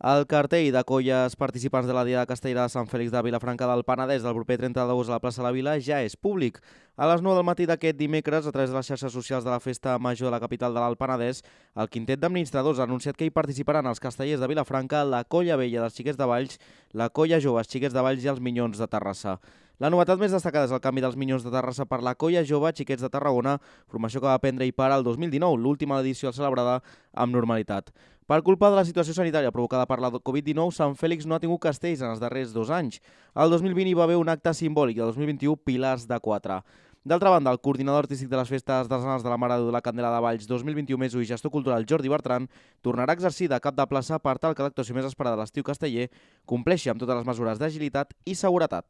El cartell de colles participants de la Diada Castellera de Sant Fèlix de Vilafranca del Penedès del proper 30 d'agost a la plaça de la Vila ja és públic. A les 9 del matí d'aquest dimecres, a través de les xarxes socials de la Festa Major de la capital de l'Alt Penedès, el quintet d'administradors ha anunciat que hi participaran els castellers de Vilafranca, la Colla Vella dels Xiquets de Valls, la Colla Jove, els Xiquets de Valls i els Minyons de Terrassa. La novetat més destacada és el canvi dels Minyons de Terrassa per la Colla Jove Xiquets de Tarragona, formació que va prendre i para el 2019, l'última edició celebrada amb normalitat. Per culpa de la situació sanitària provocada per la Covid-19, Sant Fèlix no ha tingut castells en els darrers 2 anys. El 2020 hi va haver un acte simbòlic i el 2021 pilars de 4. D'altra banda, el coordinador artístic de les festes artesanals de la Mare de la Candela de Valls 2021 més i gestor cultural Jordi Bertran tornarà a exercir de cap de plaça per tal que l'actuació més esperada de l'estiu casteller compleixi amb totes les mesures d'agilitat i seguretat.